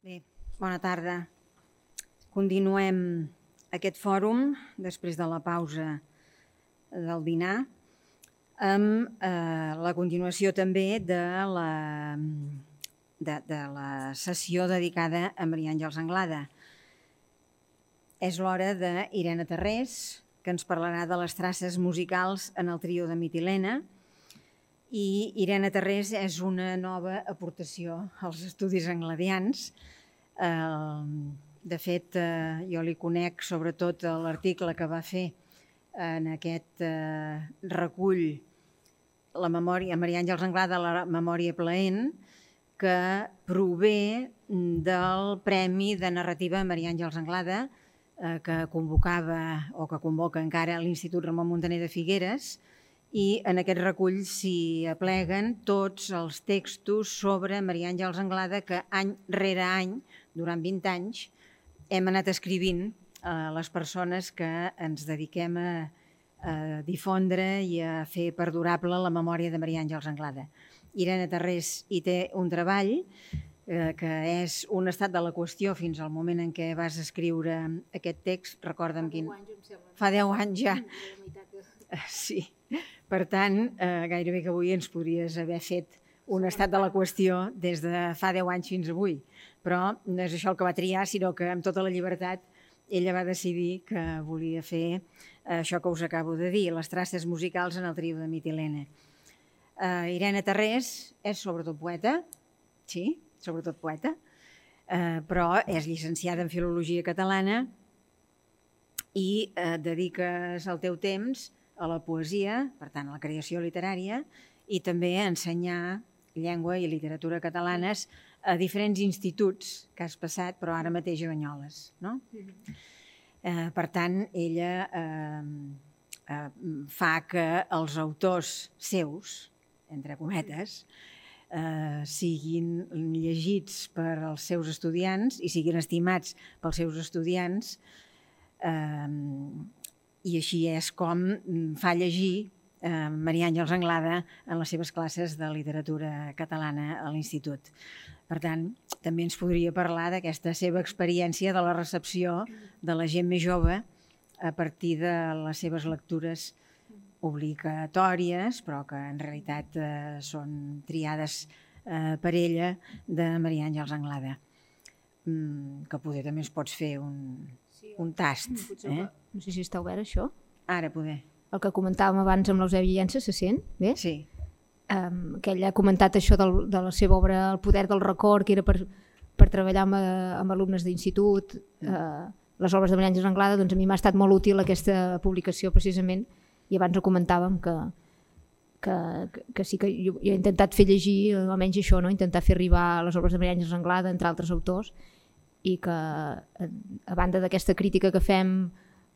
Bé, bona tarda. Continuem aquest fòrum després de la pausa del dinar amb la continuació també de la sessió dedicada a Maria Àngels Anglada. És l'hora d'Irene Tarrés, que ens parlarà de les traces musicals en el trio de Mitilene. I Irene Tarrés és una nova aportació als estudis angladians. De fet, jo li conec sobretot l'article que va fer en aquest recull la memòria Maria Àngels Anglada, la memòria plaent, que prové del Premi de Narrativa Maria Àngels Anglada que convocava o que convoca encara l'Institut Ramon Muntaner de Figueres, i en aquest recull s'hi apleguen tots els textos sobre Maria Àngels Anglada que any rere any, durant 20 anys, hem anat escrivint a les persones que ens dediquem a difondre i a fer perdurable la memòria de Maria Àngels Anglada. Irene Tarrés hi té un treball que és un estat de la qüestió fins al moment en què vas escriure aquest text. Recorda'm quin... Fa 10 anys ja. Sí. Per tant, gairebé que avui ens podries haver fet un estat de la qüestió des de fa 10 anys fins avui. Però no és això el que va triar, sinó que amb tota la llibertat ella va decidir que volia fer això que us acabo de dir, les traces musicals en el trio de Mitilene. Irene Tarrés és sobretot poeta, sí, sobretot poeta, però és llicenciada en Filologia Catalana i dediques el teu temps a la poesia, per tant a la creació literària, i també a ensenyar llengua i literatura catalanes a diferents instituts que has passat, però ara mateix a Banyoles, no? Per tant, ella fa que els autors seus, entre cometes, siguin llegits per als seus estudiants i siguin estimats pels seus estudiants, i així és com fa llegir Maria Àngels Anglada en les seves classes de literatura catalana a l'institut. Per tant, també ens podria parlar d'aquesta seva experiència de la recepció de la gent més jove a partir de les seves lectures obligatòries, però que en realitat són triades per ella, de Maria Àngels Anglada. Que poder també ens pots fer un tast. No sé si està obert això. Ara poder. El que comentàvem abans amb l'Eusebi Llença se sent bé? Sí. Que ell ha comentat això de la seva obra El poder del record, que era per treballar amb alumnes d'institut, les obres de Maria Àngels Anglada. Doncs a mi m'ha estat molt útil aquesta publicació precisament, i abans ho comentàvem que sí que jo he intentat fer llegir almenys això, no? Intentar fer arribar les obres de Maria Àngels Anglada entre altres autors, i que a banda d'aquesta crítica que fem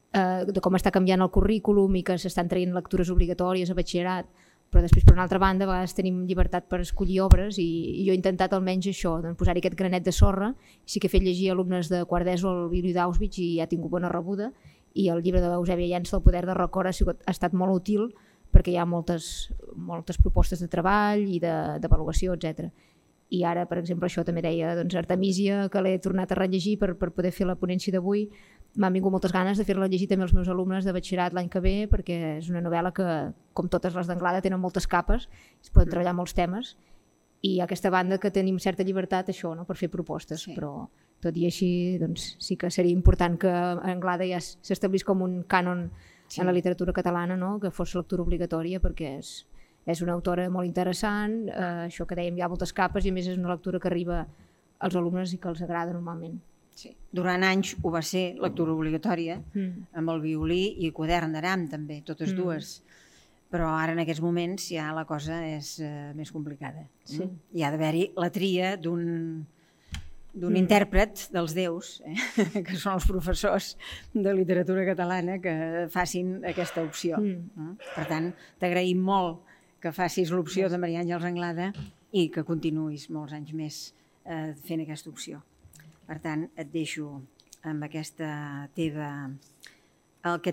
de com està canviant el currículum i que s'estan traient lectures obligatòries a batxillerat, però després per una altra banda a vegades tenim llibertat per escollir obres, i jo he intentat almenys això, doncs, posar-hi aquest granet de sorra. Sí que he fet llegir alumnes de quart d'ESO el Violí d'Auschwitz i ha tingut bona rebuda, i el llibre de l'Eusèbia Llença, El poder del record, ha estat molt útil perquè hi ha moltes propostes de treball i d'avaluació, etc. I ara, per exemple, això també deia Artemísia, que l'he tornat a rellegir per poder fer la ponència d'avui. M'han vingut moltes ganes de fer-la llegir també als meus alumnes de batxillerat l'any que ve, perquè és una novel·la que, com totes les d'Anglada, tenen moltes capes, es poden treballar molts temes, i a aquesta banda que tenim certa llibertat això, no?, per fer propostes, sí. Però tot i així doncs, sí que seria important que Anglada ja s'establís com un cànon, sí, en la literatura catalana, no?, que fos lectura obligatòria, perquè és una autora molt interessant, això que dèiem, hi ha moltes capes, i a més és una lectura que arriba als alumnes i que els agrada normalment. Sí. Durant anys ho va ser lectura obligatòria, amb el violí i quadern d'aram també, totes dues. Però ara en aquests moments ja la cosa és més complicada. Sí. Hi ha d'haver-hi la tria d'un intèrpret dels déus, que són els professors de literatura catalana, que facin aquesta opció. Per tant, t'agraïm molt que facis l'opció de Maria Àngels Anglada i que continuïs molts anys més fent aquesta opció. Per tant, et deixo amb aquest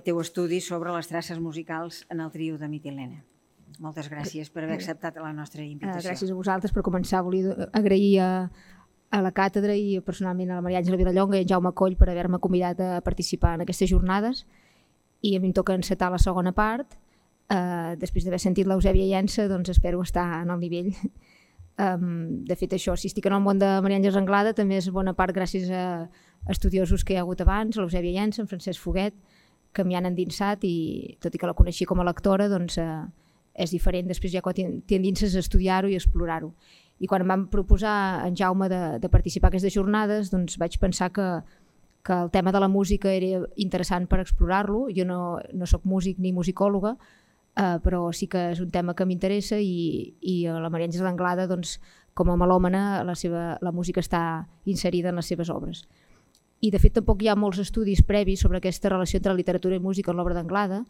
teu estudi sobre les traces musicals en el trio de Mitilene. Moltes gràcies per haver acceptat la nostra invitació. Gràcies a vosaltres. Per començar, volia agrair a a la càtedra i personalment a la Maria Àngela Vilallonga i en Jaume Coll per haver-me convidat a participar en aquestes jornades, i a mi em toca encetar la segona part. Després d'haver sentit l'Eusèbia Llença, doncs espero estar en el nivell. De fet, això, si estic en el món de Maria Àngels Anglada també és bona part gràcies a estudiosos que hi ha hagut abans, l'Eusèbia Llença, en Francesc Foguet, que m'hi han endinsat, i tot i que la coneixia com a lectora, doncs és diferent després ja quan t'endinses a estudiar-ho i explorar-ho. I quan em van proposar en Jaume de participar en aquestes jornades, doncs vaig pensar que el tema de la música era interessant per explorar-lo. Jo no soc músic ni musicòloga, però sí que és un tema que m'interessa, i a la Maria Àngels Anglada, doncs, com a melòmana, la música està inserida en les seves obres. I de fet tampoc hi ha molts estudis previs sobre aquesta relació entre literatura i música en l'obra d'Anglada.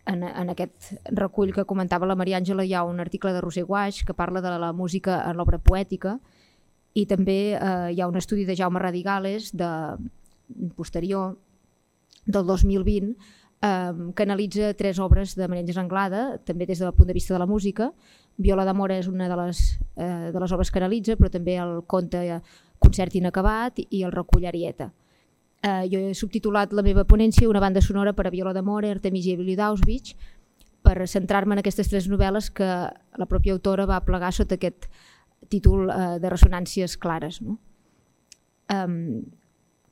En aquest recull que comentava la Maria Àngela hi ha un article de Roser Guaix que parla de la música en l'obra poètica, i també hi ha un estudi de Jaume Radigales posterior, del 2020, que analitza 3 obres de Maria Àngels Anglada, també des del punt de vista de la música. Viola d'amor és una de les obres que analitza, però també el conte Concert inacabat i el recull Arieta. Jo he subtitulat la meva ponència Una banda sonora per a viola d'amor, Artemisia i Violí d'Auschwitz, per centrar-me en aquestes 3 novel·les que la pròpia autora va plegar sota aquest títol de ressonàncies clares.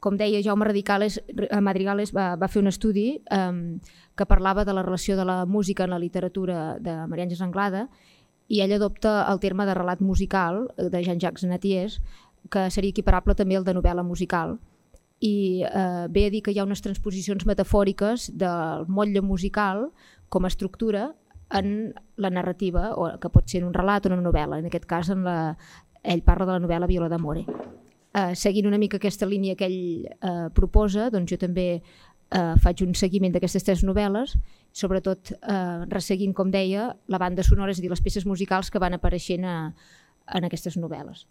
Com deia, Jaume Madrigales va fer un estudi que parlava de la relació de la música en la literatura de Maria Àngels Anglada, i ell adopta el terme de relat musical de Jean-Jacques Natiers, que seria equiparable també al de novel·la musical, i ve a dir que hi ha unes transposicions metafòriques del motlle musical com a estructura en la narrativa, o que pot ser en un relat o en una novel·la. En aquest cas ell parla de la novel·la Viola d'amore. Seguint una mica aquesta línia que ell proposa, doncs jo també faig un seguiment d'aquestes 3 novel·les, sobretot resseguint, com deia, la banda sonora, és a dir, les peces musicals que van apareixent en aquestes novel·les.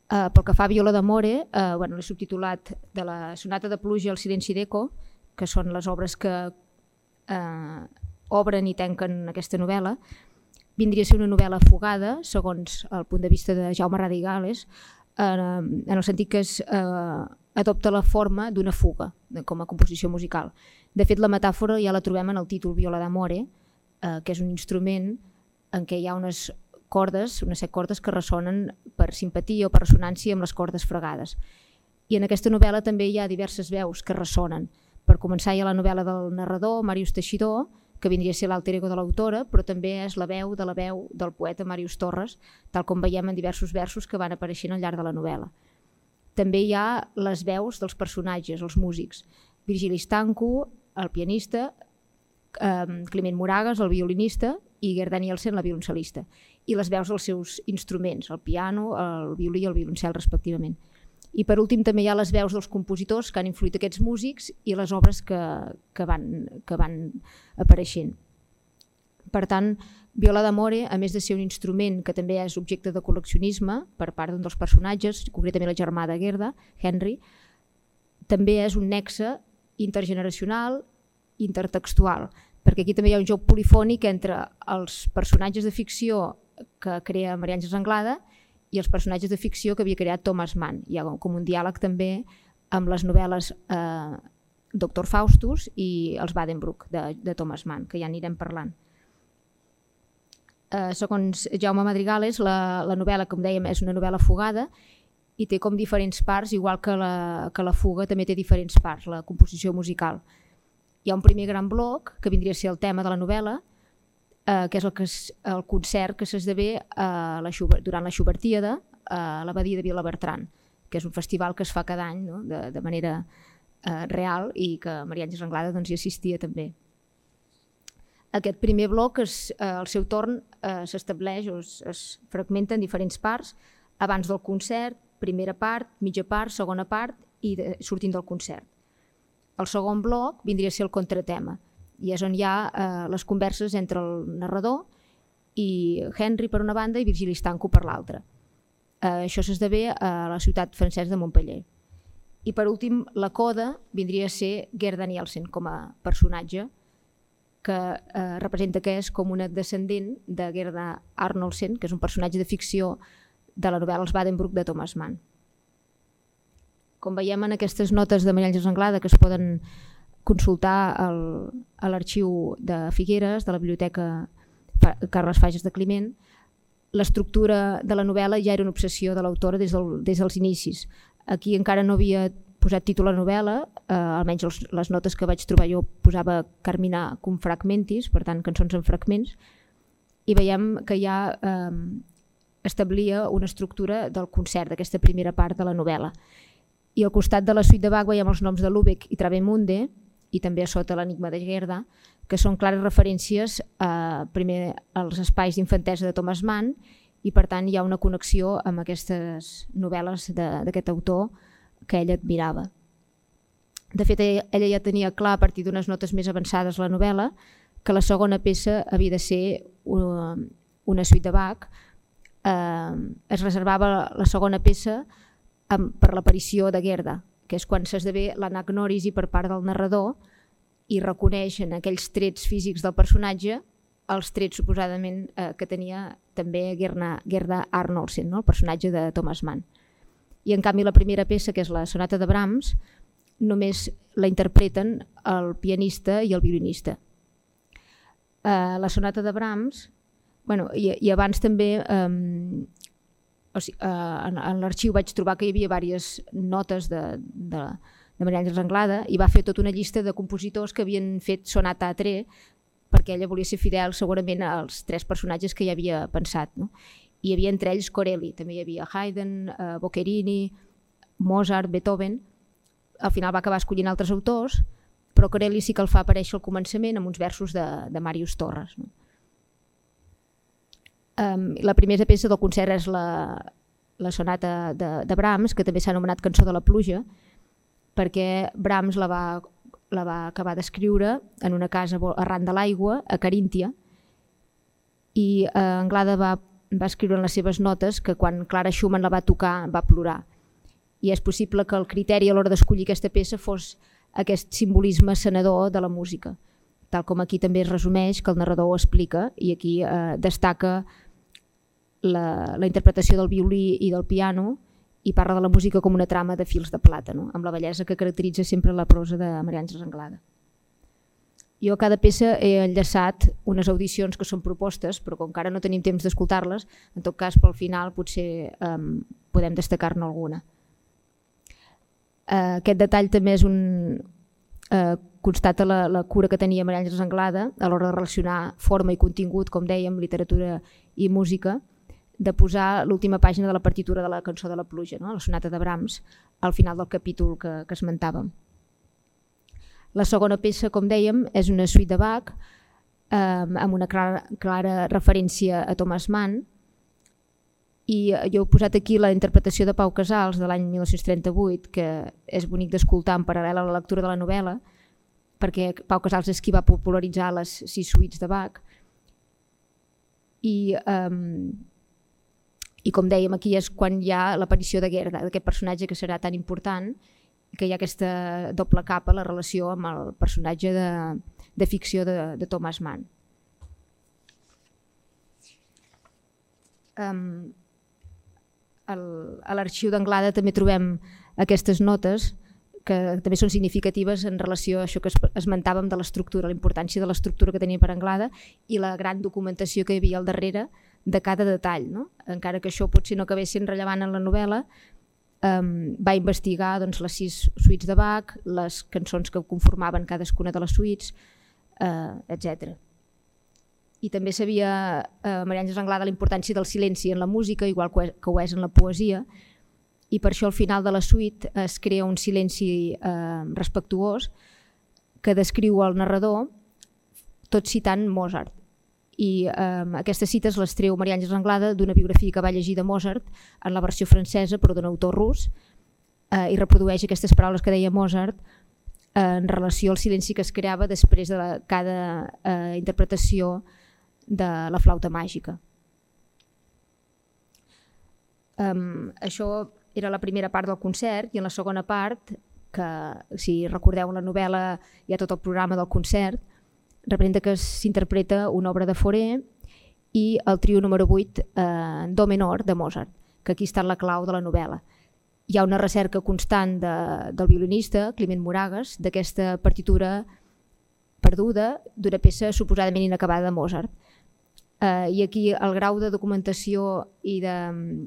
Pel que fa a Viola d'amore, l'he subtitulat de la sonata de pluja al silenci d'eco, que són les obres que obren i tanquen aquesta novel·la. Vindria a ser una novel·la fugada, segons el punt de vista de Jaume Radigales, en el sentit que adopta la forma d'una fuga com a composició musical. De fet, la metàfora ja la trobem en el títol Viola d'amore, que és un instrument en què hi ha unes cordes, unes 7 cordes que ressonen per simpatia o per ressonància amb les cordes fregades. I en aquesta novel·la també hi ha diverses veus que ressonen. Per començar, hi ha la novel·la del narrador, Màrius Teixidor, que vindria a ser l'alter ego de l'autora, però també és la veu del poeta Màrius Torres, tal com veiem en diversos versos que van apareixent al llarg de la novel·la. També hi ha les veus dels personatges, els músics. Virgili Stanco, el pianista, Climent Moragas, el violinista, i Gerd Danielsen, la violoncel·lista, i les veus dels seus instruments, el piano, el violí i el violoncel, respectivament. I per últim també hi ha les veus dels compositors que han influït aquests músics i les obres que van apareixent. Per tant, Viola d'amore, a més de ser un instrument que també és objecte de col·leccionisme per part d'un dels personatges, concretament el germà de Gerda, Henry, també és un nexe intergeneracional, intertextual, perquè aquí també hi ha un joc polifònic entre els personatges de ficció que crea Maria Àngels Anglada i els personatges de ficció que havia creat Thomas Mann. Hi ha com un diàleg també amb les novel·les Doctor Faustus i els Badenbrook de Thomas Mann, que ja anirem parlant. Segons Jaume Madrigales, la novel·la, com dèiem, és una novel·la fugada i té com diferents parts, igual que la fuga també té diferents parts, la composició musical. Hi ha un primer gran bloc, que vindria a ser el tema de la novel·la, que és el concert que s'esdevé durant la Schubertíada a l'abadia de Vilabertran, que és un festival que es fa cada any, no? de manera real, i que Maria Àngels Anglada hi assistia també. Aquest primer bloc, al seu torn, s'estableix o es fragmenta en diferents parts, abans del concert, primera part, mitja part, segona part i sortint del concert. El segon bloc vindria a ser el contratema, i és on hi ha les converses entre el narrador i Henry per una banda i Virgili Stanco per l'altra. Això s'esdevé a la ciutat francesa de Montpellier. I per últim, la coda vindria a ser Gerd Danielsen com a personatge, que representa que és com una descendent de Gerda Arnoldsen, que és un personatge de ficció de la novel·la Els Badenbrouck de Thomas Mann. Com veiem en aquestes notes de Maria Àngels Anglada, que es poden consultar a l'arxiu de Figueres, de la Biblioteca Carles Fages de Climent, l'estructura de la novel·la ja era una obsessió de l'autora des dels inicis. Aquí encara no havia posat títol a la novel·la, almenys les notes que vaig trobar jo posava Carmina cum fragmentis, per tant cançons en fragments, i veiem que ja establia una estructura del concert, d'aquesta primera part de la novel·la. I al costat de la suite de Bach veiem els noms de Lübeck i Travemünde, i també a sota l'Enigma de Gerda, que són clares referències primer als espais d'infantesa de Thomas Mann, i per tant hi ha una connexió amb aquestes novel·les d'aquest autor que ella admirava. De fet, ella ja tenia clar a partir d'unes notes més avançades la novel·la que la segona peça havia de ser una suite de Bach. Es reservava la segona peça per l'aparició de Gerda, que és quan s'esdevé l'anagnòrisi per part del narrador i reconeix en aquells trets físics del personatge els trets suposadament que tenia també Gerda Arnoldsen, el personatge de Thomas Mann. I en canvi la primera peça, que és la sonata de Brahms, només la interpreten el pianista i el violinista. La sonata de Brahms, i abans també en l'arxiu vaig trobar que hi havia diverses notes de Maria Àngels Anglada i va fer tota una llista de compositors que havien fet sonata a tre perquè ella volia ser fidel segurament als tres personatges que hi havia pensat. Hi havia entre ells Corelli, també hi havia Haydn, Boccherini, Mozart, Beethoven. Al final va acabar escollint altres autors, però Corelli sí que el fa aparèixer al començament amb uns versos de Màrius Torres. La primera peça del concert és la sonata de Brahms, que també s'ha anomenat Cançó de la pluja, perquè Brahms la va acabar d'escriure en una casa arran de l'aigua a Caríntia, i Anglada va escriure en les seves notes que quan Clara Schumann la va tocar va plorar. I és possible que el criteri a l'hora d'escollir aquesta peça fos aquest simbolisme sanador de la música, tal com aquí també es resumeix, que el narrador ho explica, i aquí destaca la interpretació del violí i del piano i parla de la música com una trama de fils de plata, amb la bellesa que caracteritza sempre la prosa de Maria Àngels Anglada. Jo a cada peça he enllaçat unes audicions que són propostes, però com que ara no tenim temps d'escoltar-les, en tot cas pel final potser podem destacar-ne alguna. Aquest detall també és constata la cura que tenia Maria Àngels Anglada a l'hora de relacionar forma i contingut, com dèiem, literatura i música, de posar l'última pàgina de la partitura de la Cançó de la pluja, la sonata de Brahms, al final del capítol que esmentàvem. La segona peça, com dèiem, és una suite de Bach amb una clara referència a Thomas Mann, i jo he posat aquí la interpretació de Pau Casals de l'any 1938, que és bonic d'escoltar en paral·lel a la lectura de la novel·la, perquè Pau Casals és qui va popularitzar les 6 suites de Bach, i com dèiem aquí és quan hi ha l'aparició de Gerda, d'aquest personatge que serà tan important, que hi ha aquesta doble capa, la relació amb el personatge de ficció de Thomas Mann. A l'arxiu d'Anglada també trobem aquestes notes que també són significatives en relació a això que esmentàvem de l'estructura, la importància de l'estructura que tenia per Anglada i la gran documentació que hi havia al darrere de cada detall. Encara que això potser no acabés sent rellevant en la novel·la, va investigar les 6 suites de Bach, les cançons que conformaven cadascuna de les suites, etc. I també sabia Maria Àngels Anglada la importància del silenci en la música, igual que ho és en la poesia, i per això al final de la suite es crea un silenci respectuós que descriu el narrador tot citant Mozart. I aquestes cites les treu Maria Àngels Anglada d'una biografia que va llegir de Mozart en la versió francesa, però d'un autor rus, i reprodueix aquestes paraules que deia Mozart en relació al silenci que es creava després de cada interpretació de la flauta màgica. Això era la primera part del concert, i en la segona part, que si recordeu la novel·la hi ha tot el programa del concert, representa que s'interpreta una obra de Fauré i el trio número 8 en do menor de Mozart. que aquí està la clau de la novel·la. Hi ha una recerca constant del violinista, Climent Moragues, d'aquesta partitura perduda d'una peça suposadament inacabada de Mozart. I aquí el grau de documentació i de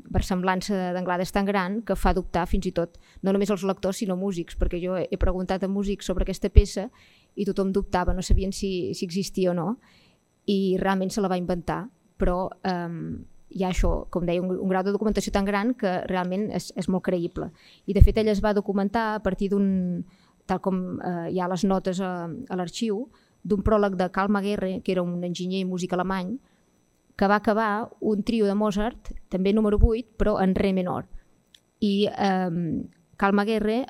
versemblança d'Anglada és tan gran que fa dubtar fins i tot no només els lectors sinó músics, perquè jo he preguntat a músics sobre aquesta peça i tothom dubtava, no sabien si existia o no, i realment se la va inventar, però hi ha això, com deia, un grau de documentació tan gran que realment és molt creïble. I de fet ell es va documentar a partir d'un, tal com hi ha les notes a l'arxiu, d'un pròleg de Carl Magerre, que era un enginyer i músic alemany, que va acabar un trio de Mozart, també número 8, però en re menor. I Carl Magerre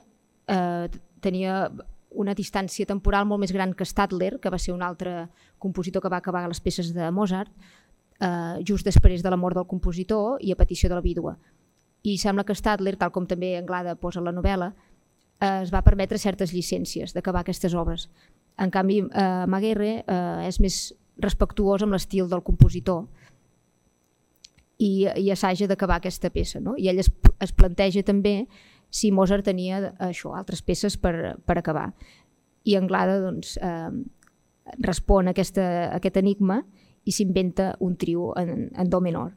tenia una distància temporal molt més gran que Stadler, que va ser un altre compositor que va acabar les peces de Mozart, just després de la mort del compositor i a petició de la vídua. I sembla que Stadler, tal com també Anglada posa a la novel·la, es va permetre certes llicències d'acabar aquestes obres. En canvi, Magerre és més respectuós amb l'estil del compositor i assaja d'acabar aquesta peça, no? I ell es planteja també si Mozart tenia això, altres peces per acabar. I Anglada doncs, respon a aquest enigma i s'inventa un trio en do menor.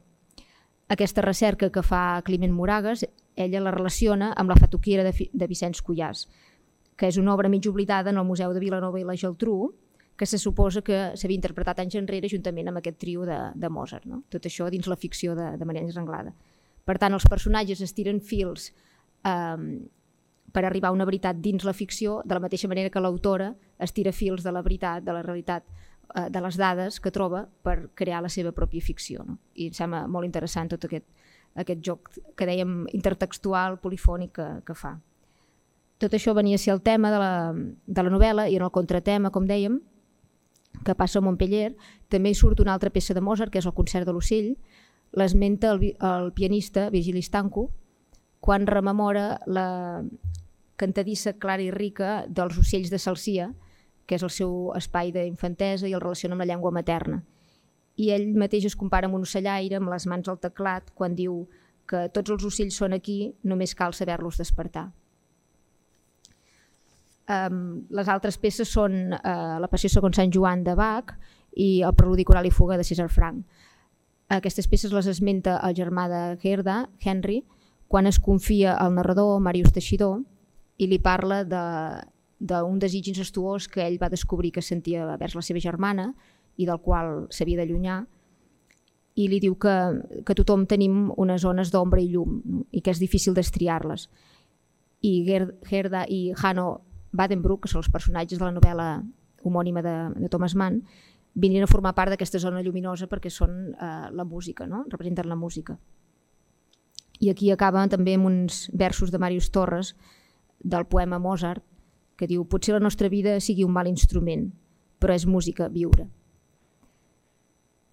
Aquesta recerca que fa Climent Moragues, ella la relaciona amb la Fatuquiera de Vicenç Cuyàs, que és una obra mig oblidada en el Museu de Vilanova i la Geltrú, que se suposa que s'havia interpretat anys enrere juntament amb aquest trio de Mozart. No? Tot això dins la ficció de Maria Àngels Anglada. Per tant, els personatges estiren fils per arribar a una veritat dins la ficció, de la mateixa manera que l'autora estira fils de la veritat, de la realitat, de les dades que troba per crear la seva pròpia ficció. No? I em sembla molt interessant tot aquest joc que dèiem intertextual, polifònic que fa. Tot això venia a ser el tema de la novel·la, i en el contratema, com dèiem, que passa a Montpellier, també hi surt una altra peça de Mozart, que és el Concert de l'Ocell. L'esmenta el pianista Virgili Stanco quan rememora la cantadissa clara i rica dels ocells de Salsia, que és el seu espai d'infantesa, i el relaciona amb la llengua materna. I ell mateix es compara amb un ocellaire amb les mans al teclat quan diu que tots els ocells són aquí, només cal saber-los despertar. Les altres peces són la Passió segons Sant Joan de Bach i el Preludi coral i fuga de César Franck. Aquestes peces les esmenta el germà de Gerda, Henry, quan es confia al narrador Màrius Teixidor i li parla d'un desig incestuós que ell va descobrir que sentia vers la seva germana i del qual s'havia d'allunyar, i li diu que tothom tenim unes zones d'ombra i llum, no? I que és difícil destriar-les. I Gerda i Hanno Badenbroek, que són els personatges de la novel·la homònima de Thomas Mann, vinien a formar part d'aquesta zona lluminosa perquè són la música, no? Representen la música. I aquí acaba també amb uns versos de Màrius Torres del poema Mozart, que diu: potser la nostra vida sigui un mal instrument, però és música viure.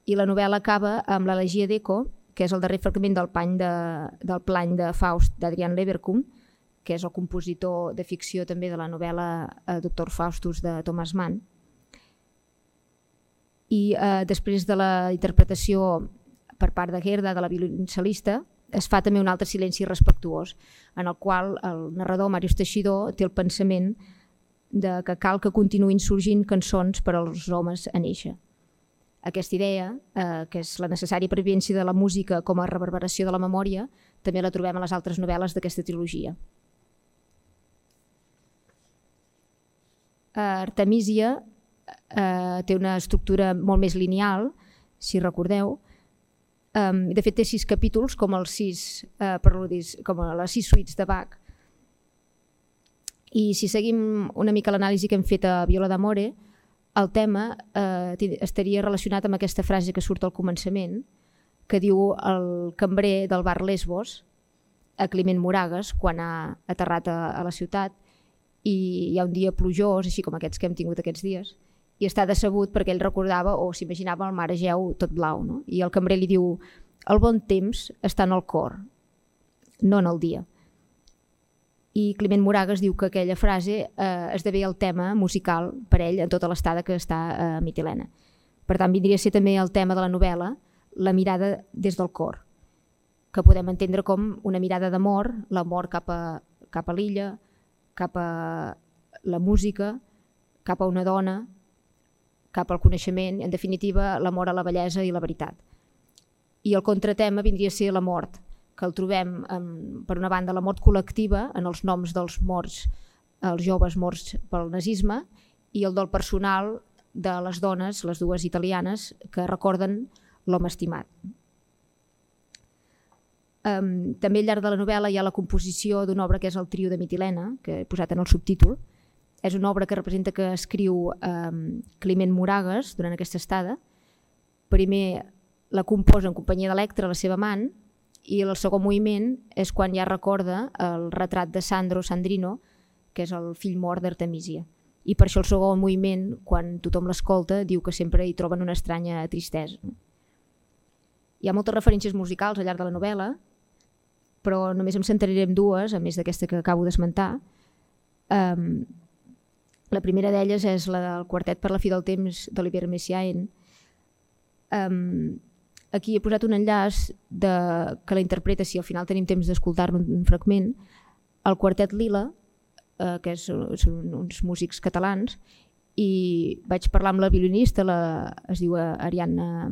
I la novel·la acaba amb l'Elegia d'Eco, que és el darrer fragment del plany de Faust d'Adrian Leverkuhn, que és el compositor de ficció també de la novel·la Doctor Faustus de Thomas Mann. I després de la interpretació per part de Gerda, de la violoncel·lista, es fa també un altre silenci respectuós, en el qual el narrador Màrius Teixidor té el pensament que cal que continuïn sorgint cançons per als homes a néixer. Aquesta idea, que és la necessària pervivència de la música com a reverberació de la memòria, també la trobem a les altres novel·les d'aquesta trilogia. Artemisia té una estructura molt més lineal, si recordeu. De fet, té 6 capítols, com les 6 suites de Bach. I si seguim una mica l'anàlisi que hem fet a Viola d'Amore, el tema estaria relacionat amb aquesta frase que surt al començament, que diu el cambrer del bar Lesbos a Climent Moragues quan ha aterrat a la ciutat, i hi ha un dia plujós, així com aquests que hem tingut aquests dies, i està decebut perquè ell recordava o s'imaginava el mar Egeu tot blau, no? I el cambrer li diu: el bon temps està en el cor, no en el dia. I Climent Moragues diu que aquella frase esdevé el tema musical per ell en tota l'estada que està a Mitilene. Per tant, vindria a ser també el tema de la novel·la, la mirada des del cor. que podem entendre com una mirada d'amor, l'amor cap a l'illa, cap a la música, cap a una dona, cap al coneixement, en definitiva l'amor a la bellesa i la veritat. I el contratema vindria a ser la mort, que el trobem, per una banda, la mort col·lectiva en els noms dels morts, els joves morts pel nazisme, i el del personal de les dones, les dues italianes, que recorden l'home estimat. També al llarg de la novel·la hi ha la composició d'una obra que és el Trio de Mitilena, que he posat en el subtítol. És una obra que representa que escriu Climent Moragues durant aquesta estada. Primer la composa en companyia d'Electra, la seva amant, i el segon moviment és quan ja recorda el retrat de Sandrino, que és el fill mort d'Artemisia. I per això el segon moviment, quan tothom l'escolta, diu que sempre hi troben una estranya tristesa. Hi ha moltes referències musicals al llarg de la novel·la, però només em centraré en dues, a més d'aquesta que acabo d'esmentar. La primera d'elles és la del quartet per la fi del temps d'Olivier Messiaen. Aquí he posat un enllaç que la interpreta, si al final tenim temps d'escoltar-ne un fragment, el quartet Lila, que són uns músics catalans, i vaig parlar amb la violinista, es diu Ariadna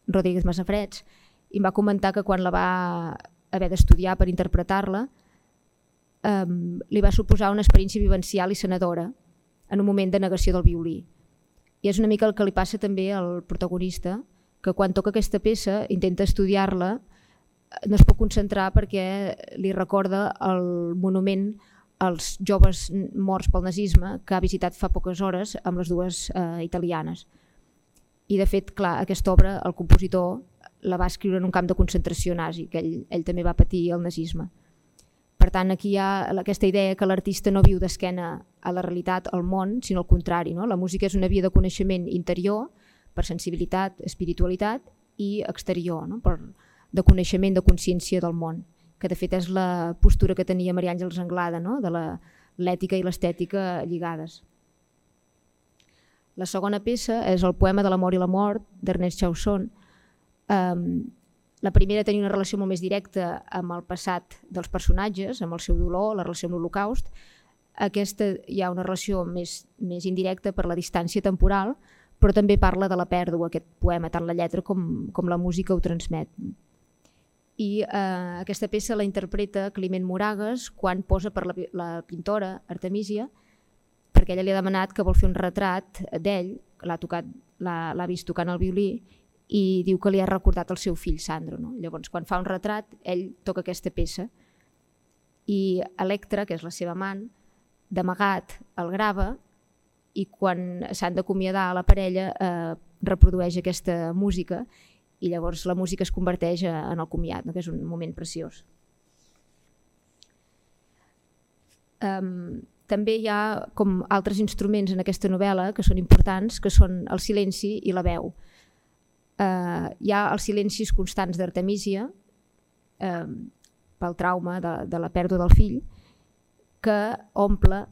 Rodríguez Massafreds, i em va comentar que quan la va haver d'estudiar per interpretar-la, li va suposar una experiència vivencial i sanadora en un moment de negació del violí. I és una mica el que li passa també al protagonista, que quan toca aquesta peça intenta estudiar-la, no es pot concentrar perquè li recorda el monument als joves morts pel nazisme que ha visitat fa poques hores amb les dues italianes. I de fet, clar, aquesta obra el compositor la va escriure en un camp de concentració nazi, que ell també va patir el nazisme. Per tant, aquí hi ha aquesta idea que l'artista no viu d'esquena a la realitat, al món, sinó al contrari. La música és una via de coneixement interior, per sensibilitat, espiritualitat, i exterior, de coneixement, de consciència del món, que de fet és la postura que tenia Maria Àngels Anglada, de l'ètica i l'estètica lligades. La segona peça és el poema de l'amor i la mort d'Ernest Chausson. La primera tenia una relació molt més directa amb el passat dels personatges, amb el seu dolor, la relació amb l'Holocaust. Aquesta hi ha una relació més indirecta per la distància temporal, però també parla de la pèrdua, aquest poema, tant la lletra com la música ho transmet. I aquesta peça la interpreta Climent Moragues quan posa per la pintora Artemisia, perquè ella li ha demanat que vol fer un retrat d'ell, l'ha vist tocant el violí, i diu que li ha recordat el seu fill Sandro. Llavors, quan fa un retrat, ell toca aquesta peça i Electra, que és la seva amant, d'amagat el grava, i quan s'han d'acomiadar a la parella reprodueix aquesta música, i llavors la música es converteix en el comiat, que és un moment preciós. També hi ha com altres instruments en aquesta novel·la que són importants, que són el silenci i la veu. Hi ha els silencis constants d'Artemisia pel trauma de la pèrdua del fill, que omple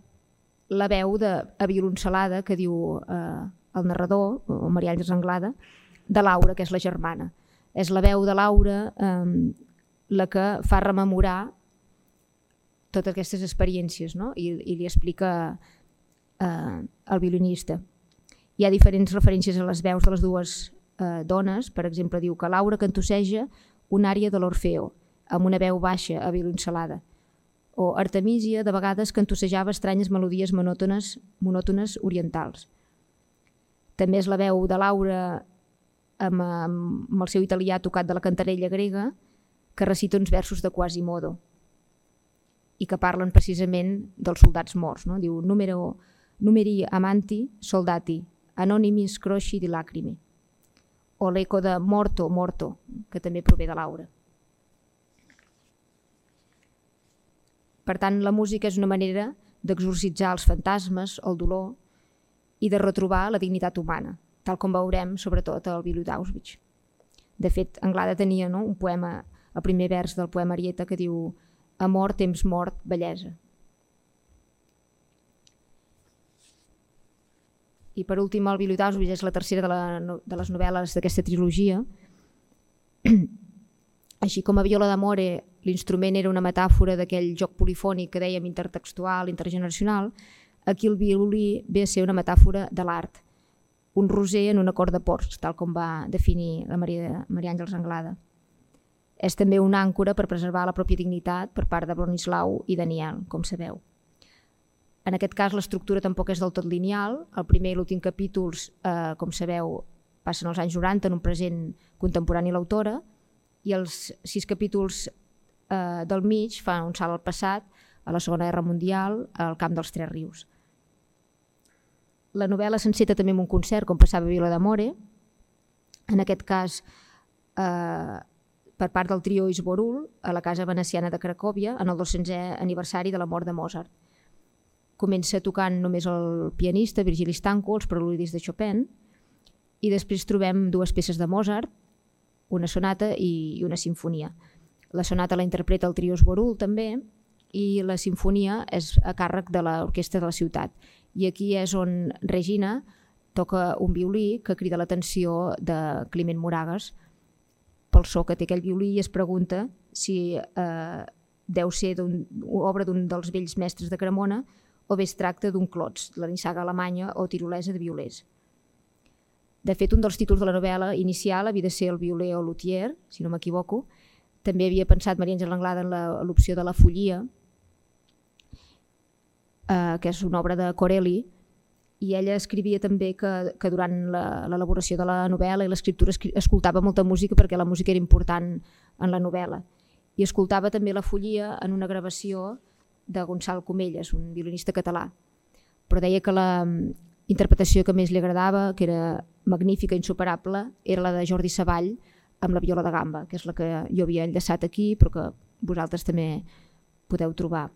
la veu avioloncelada que diu el narrador, o Maria Àngels Anglada, de Laura, que és la germana. És la veu de Laura la que fa rememorar totes aquestes experiències, i li explica al violinista. Hi ha diferents referències a les veus de les dues dones. Per exemple, diu que Laura cantosseja una ària de l'Orfeo amb una veu baixa avioloncelada, o Artemisia de vegades cantossejava estranyes melodies monòtones orientals. També és la veu de Laura amb el seu italià tocat de la cantarella grega, que recita uns versos de Quasimodo i que parlen precisament dels soldats morts. Diu numeri amanti soldati anonimis crosci di lacrime, o l'eco de morto, morto, que també prové de Laura. Per tant, la música és una manera d'exorcitzar els fantasmes, el dolor, i de retrobar la dignitat humana, tal com veurem sobretot al violí d'Auschwitz. De fet, Anglada tenia un poema, el primer vers del poema Arieta, que diu amor, temps mort, bellesa. I per últim, el violí d'Auschwitz és la tercera de les novel·les d'aquesta trilogia. Així com a Viola d'Amore l'instrument era una metàfora d'aquell joc polifònic que dèiem intertextual, intergeneracional, aquí el violí ve a ser una metàfora de l'art, un roser en un acord de porcs, tal com va definir la Maria Àngels Anglada. És també una àncora per preservar la pròpia dignitat per part de Bronislau i Daniel, com sabeu. En aquest cas l'estructura tampoc és del tot lineal, el primer i l'últim capítols, com sabeu, passen als anys 90 en un present contemporani l'autora, i els 6 capítols del mig fan un salt al passat, a la Segona Guerra Mundial, al camp dels Tres Rius. La novel·la s'enceta també amb un concert, com passava a Viola d'Amore, en aquest cas per part del trio Isborul, a la Casa Veneciana de Cracòvia, en el 200è aniversari de la mort de Mozart. Comença tocant només el pianista Virgili Stanko, els preludis de Chopin, i després trobem 2 peces de Mozart, una sonata i una sinfonia. La sonata la interpreta el trio Isborul també, i la sinfonia és a càrrec de l'Orquestra de la Ciutat. I aquí és on Regina toca un violí que crida l'atenció de Climent Moragas pel so que té aquell violí i es pregunta si deu ser obra d'un dels vells mestres de Cremona o bé es tracta d'un clots, la nissaga alemanya o tirolesa de violers. De fet, un dels títols de la novel·la inicial havia de ser el violer o luthier, si no m'equivoco. També havia pensat Maria Àngels Anglada en l'opció de la follia, que és una obra de Corelli, i ella escrivia també que durant l'elaboració de la novel·la i l'escriptura escoltava molta música perquè la música era important en la novel·la. I escoltava també la follia en una gravació de Gonçal Comelles, un violinista català. Però deia que la interpretació que més li agradava, que era magnífica, insuperable, era la de Jordi Savall amb la viola de gamba, que és la que jo havia enllaçat aquí, però que vosaltres també podeu trobar.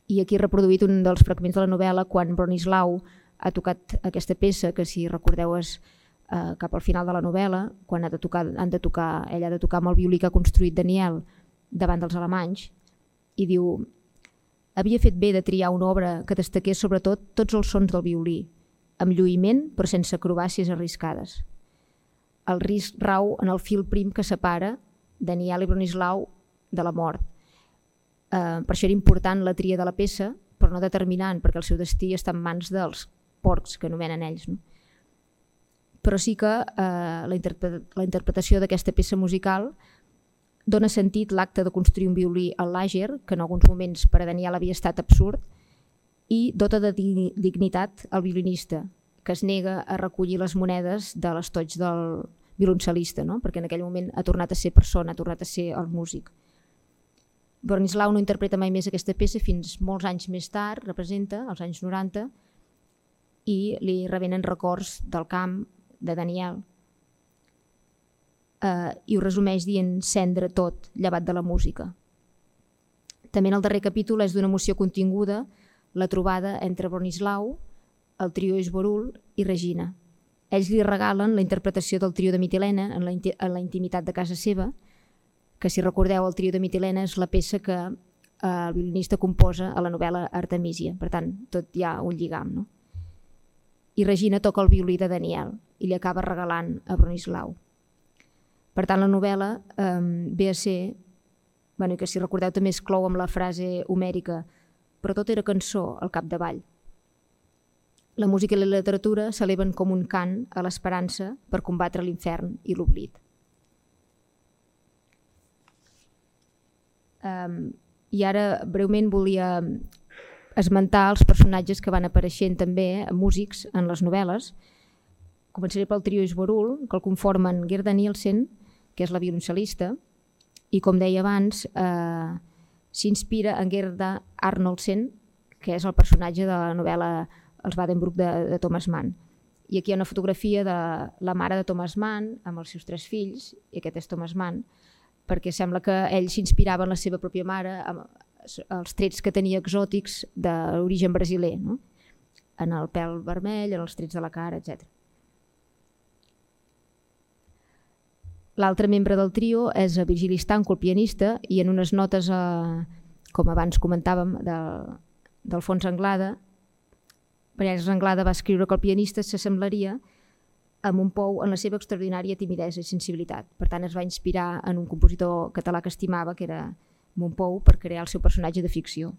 I aquí he reproduït un dels fragments de la novel·la quan Bronislau ha tocat aquesta peça, que si recordeu és cap al final de la novel·la, quan ella ha de tocar amb el violí que ha construït Daniel davant dels alemanys, i diu: havia fet bé de triar una obra que destaqués sobretot tots els sons del violí, amb lluïment però sense acrobàcies arriscades. El risc rau en el fil prim que separa Daniel i Bronislau de la mort. Per això era important la tria de la peça, però no determinant, perquè el seu destí està en mans dels porcs, que anomenen ells. No? Però sí que la interpretació d'aquesta peça musical dona sentit l'acte de construir un violí al làger, que en alguns moments per a Daniel havia estat absurd, i dota de dignitat al violinista, que es nega a recollir les monedes de l'estoig del violoncel·lista, no? Perquè en aquell moment ha tornat a ser persona, ha tornat a ser el músic. Bronislau no interpreta mai més aquesta peça fins molts anys més tard, representa, als anys 90, i li revenen records del camp de Daniel. I ho resumeix dient cendre tot, llevat de la música. També en el darrer capítol és d'una emoció continguda la trobada entre Bronislau, el trio Isborul i Regina. Ells li regalen la interpretació del trio de Mitilena en la intimitat de casa seva, que si recordeu el trio de Mitilena és la peça que el violinista composa a la novel·la Artemisia, per tant tot hi ha un lligam. No? I Regina toca el violí de Daniel i li acaba regalant a Bronislau. Per tant la novel·la ve a ser, i que si recordeu també es clou amb la frase homèrica, però tot era cançó al capdavall. La música i la literatura s'eleven com un cant a l'esperança per combatre l'infern i l'oblit. I ara breument volia esmentar els personatges que van apareixent també músics en les novel·les. Començaré pel trio Isborul, que el conformen Gerda Nielsen, que és la violoncel·lista, i com deia abans s'inspira en Gerda Arnoldsen, que és el personatge de la novel·la Els Wadenbruch de Thomas Mann. I aquí hi ha una fotografia de la mare de Thomas Mann amb els seus 3 fills, i aquest és Thomas Mann, perquè sembla que ell s'inspirava en la seva pròpia mare, amb els trets que tenia exòtics d'origen brasiler, no? En el pèl vermell, en els trets de la cara, etc. L'altre membre del trio és Virgili Stanko, el pianista, i en unes notes, com abans comentàvem, d'Alfons Anglada, Maria Àngels Anglada va escriure que el pianista s'assemblaria a Montpou en la seva extraordinària timidesa i sensibilitat. Per tant, es va inspirar en un compositor català que estimava, que era Montpou, per crear el seu personatge de ficció.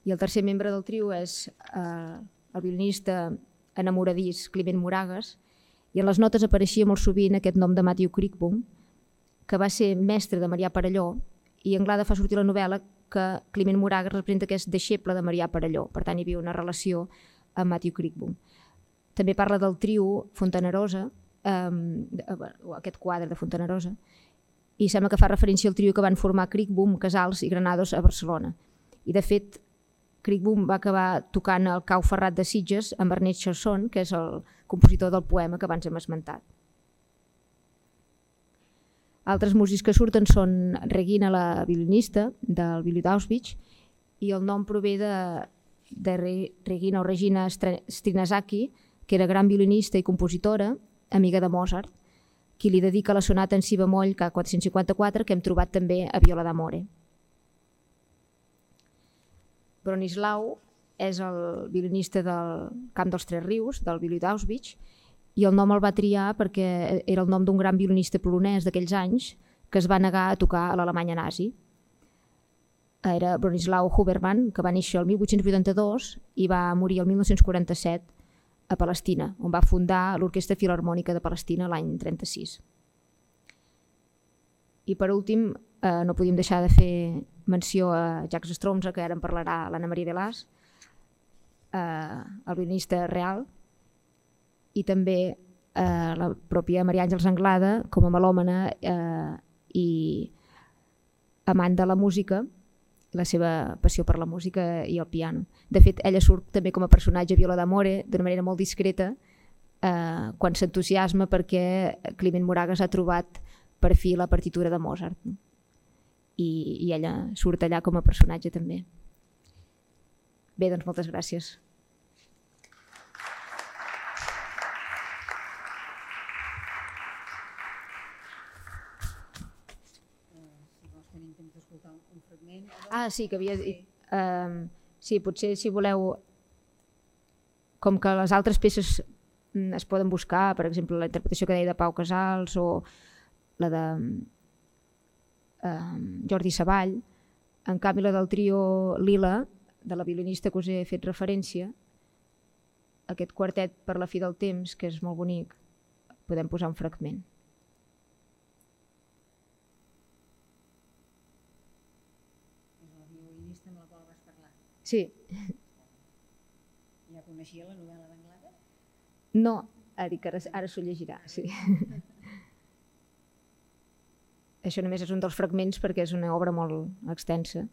I el tercer membre del trio és el violinista enamoradís Climent Moragues, i en les notes apareixia molt sovint aquest nom de Matthew Crickboom, que va ser mestre de Marià Perelló, i Anglada fa sortir la novel·la que Climent Moragues representa que és deixeble de Marià Perelló, per tant hi havia una relació amb Matthew Crickboom. També parla del trio Fontanerosa, aquest quadre de Fontanerosa, i sembla que fa referència al trio que van formar Crickboom, Casals i Granados a Barcelona. I de fet, Crickboom va acabar tocant el Cau Ferrat de Sitges amb Ernest Chasson, que és el compositor del poema que abans hem esmentat. Altres músics que surten són Regina, la violinista del violí d'Auschwitz, i el nom prové de Regina o Regina Strinasaki, que era gran violinista i compositora, amiga de Mozart, qui li dedica la sonata en si bemoll K454, que hem trobat també a Viola d'Amore. Bronislau és el violinista del Camp dels Tres Rius, del violí d'Auschwitz, i el nom el va triar perquè era el nom d'un gran violinista polonès d'aquells anys que es va negar a tocar a l'Alemanya nazi. Era Bronislau Huberman, que va néixer el 1882 i va morir el 1947 a Palestina, on va fundar l'Orquestra Filharmònica de Palestina l'any 1936. I per últim, no podíem deixar de fer menció a Jacques Stromza, que ara en parlarà l'Anna Maria Delàs, el violinista real, i també la pròpia Maria Àngels Anglada, com a melòmana i amant de la música, la seva passió per la música i el piano. De fet, ella surt també com a personatge a Viola d'Amore d'una manera molt discreta quan s'entusiasma perquè Climent Moragues ha trobat per fi la partitura de Mozart. I ella surt allà com a personatge també. Bé, doncs moltes gràcies. Sí, que havia dit. Sí, potser si voleu, com que les altres peces es poden buscar, per exemple la interpretació que deia de Pau Casals o la de Jordi Savall, en canvi la del trio Lila, de la violinista que us he fet referència, aquest quartet per la fi del temps, que és molt bonic, podem posar un fragment. Sí. Ja coneixia la novel·la d'Anglada? No, ha dit que ara s'ho llegirà, sí. Això només és un dels fragments perquè és una obra molt extensa.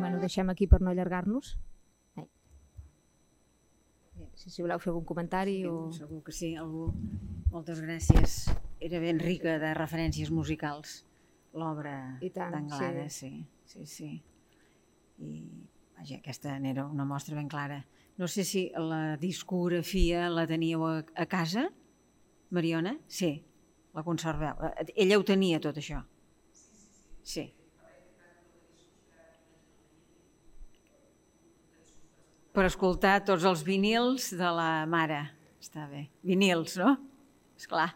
Bueno, deixem aquí per no allargar-nos. Si voleu fer algun comentari o... Segur que sí, algú. Moltes gràcies. Era ben rica de referències musicals, l'obra d'Anglada, sí. I vaja, aquesta n'era una mostra ben clara. No sé si la discografia la teníeu a casa, Mariona? Sí, la conserveu. Ella ho tenia, tot això? Sí. Per escoltar tots els vinils de la mare. Està bé. Vinils, no? Esclar.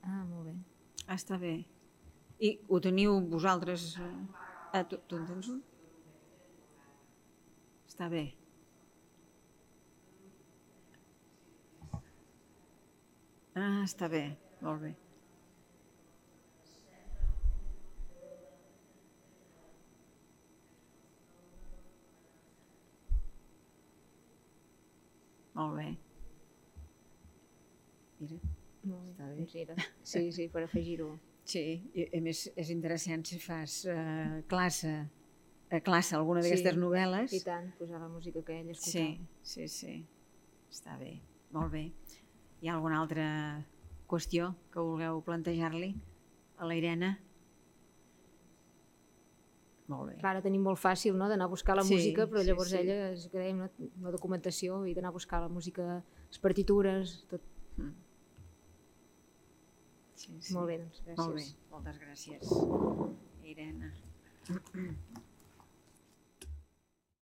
Molt bé. Està bé. I ho teniu vosaltres? Tu en tens un? Està bé. Està bé. Molt bé. Molt bé. Mira, està bé. Sí, per afegir-ho. Sí, i a més és interessant si fas classe alguna d'aquestes novel·les. I tant, posar la música que ell escoltava. Sí. Està bé, molt bé. Hi ha alguna altra qüestió que vulgueu plantejar-li a la Irene? Molt bé. Clar, ara tenim molt fàcil d'anar a buscar la música, però llavors ella es crea una documentació i d'anar a buscar la música, les partitures, tot. Molt bé, doncs, gràcies. Molt bé, moltes gràcies, Irene.